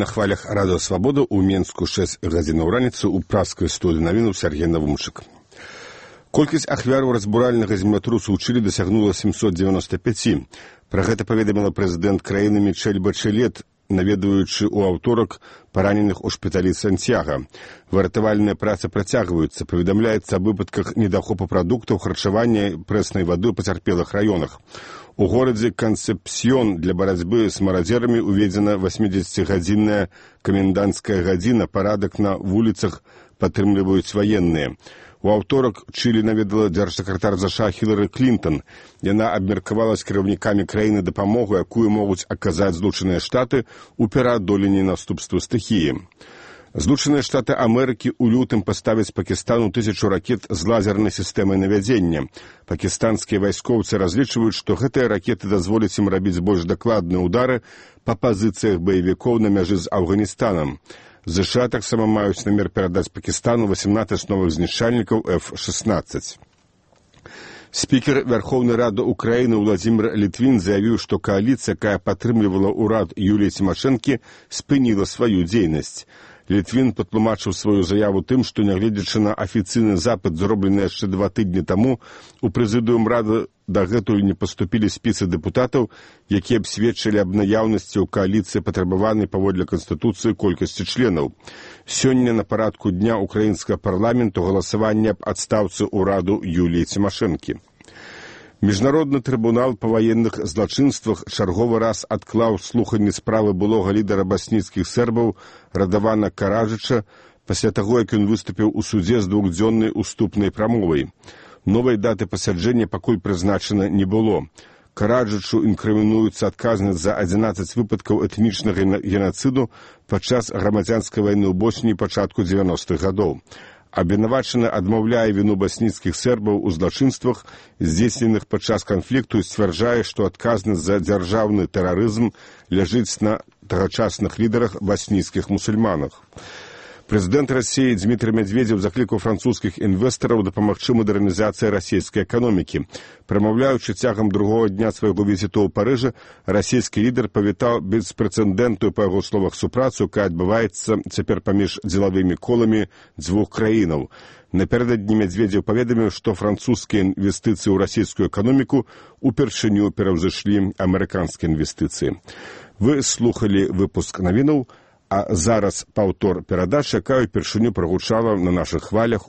на хвалях Радио Свобода у Менску 6 гадзінаў раніцы у праскай студыі навінаў Сергей Навумчык. Колькасць ахвяраў разбуральнага землятрусу ў Чылі дасягнула 795. Пра гэта паведаміла прэзідэнт краіны Мішэль Бачэлет, наведваючы ў аўторак параненых у шпіталі Сантьяга. Выратавальныя працы працягваюцца. Паведамляецца аб выпадках недахопу прадуктаў харчавання прэснай вады ў пацярпелых раёнах. У горадзе Кансепсьён для барацьбы з марадзерамі уведзена 80-гадзінная каменданцкая гадзіна. Парадак на вуліцах падтрымліваюць ваенныя. У аўторак Чылі наведала дзяржсакратар ЗША Хілары Клінтон. Яна абмеркавала з кіраўнікамі краіны дапамогу, якую могуць аказаць Злучаныя Штаты ў пераадоленні наступству стыхіі. Злучаныя Штаты Амерыкі ў лютым паставяць Пакістану 1000 ракет з лазернай сістэмай навядзення. Пакістанскія вайскоўцы разлічваюць, што гэтыя ракеты дазволяць ім рабіць больш дакладныя ўдары па пазіцыях баевікоў на мяжы з Афганістанам. ЗША таксама маюць намер перадаць Пакістану 18 новых знішчальнікаў F-16. Спікер Верховнай Рады Украіны Владзімір Літвін заявіў, што кааліцыя, якая падтрымлівала ўрад Юліі Цімашэнкі, спыніла сваю дзейнасць. Літвін патлумачыў сваю заяву тым, што, нягледзячы на афіцыйны запыт, зроблены яшчэ 2 тыдні таму, у прэзідыум Рады дагэтуль не паступілі спісы дэпутатаў, якія б сведчылі аб наяўнасці ў кааліцыі патрабаванай паводле Канстытуцыі колькасці членаў. Сёння на парадку дня украінскага парламенту галасаванне аб адстаўцы ўраду Юліі Цімашэнкі. Міжнародны трыбунал па ваенных злачынствах чарговы раз адклаў слуханне справы былога лідара басніцкіх сербаў Радавана Караджыча пасля таго, як ён выступіў у судзе з 2-дзённай уступнай прамовай. Новай даты пасяджэння пакуль прызначана не было. Караджычу інкрымінуецца адказнасць за 11 выпадкаў этнічнага генацыду падчас грамадзянскай вайны ў Босніі пачатку 90-х гадоў. Абвінавачаны адмаўляе віну басніцкіх сербаў у злачынствах, здзейсненых падчас канфлікту, і сцвярджае, што адказнасць за дзяржаўны тэрарызм ляжыць на тагачасных лідарах басніцкіх мусульманах. Прэзідэнт Расіі Дмітрый Медведзеў заклікаў французскіх інвестараў дапамагчы мадэрнізацыі расійскай эканомікі. Прамаўляючы цягам другога дня свайго візіту ў Парыжы, расійскі лідар павітаў беспрэцэдэнтную, па яго словах, супрацу, якая адбываецца цяпер паміж дзелавымі коламі дзвюх краінаў. Напярэдадні Медведзеў паведаміў, што французскія інвестыцыі ў расійскую эканоміку упершыню пераўзышлі амерыканскія інвестыцыі. Вы слухалі выпуск навінаў, а зараз паўтор перадач, якая ўпершыню прагучала на нашых хвалях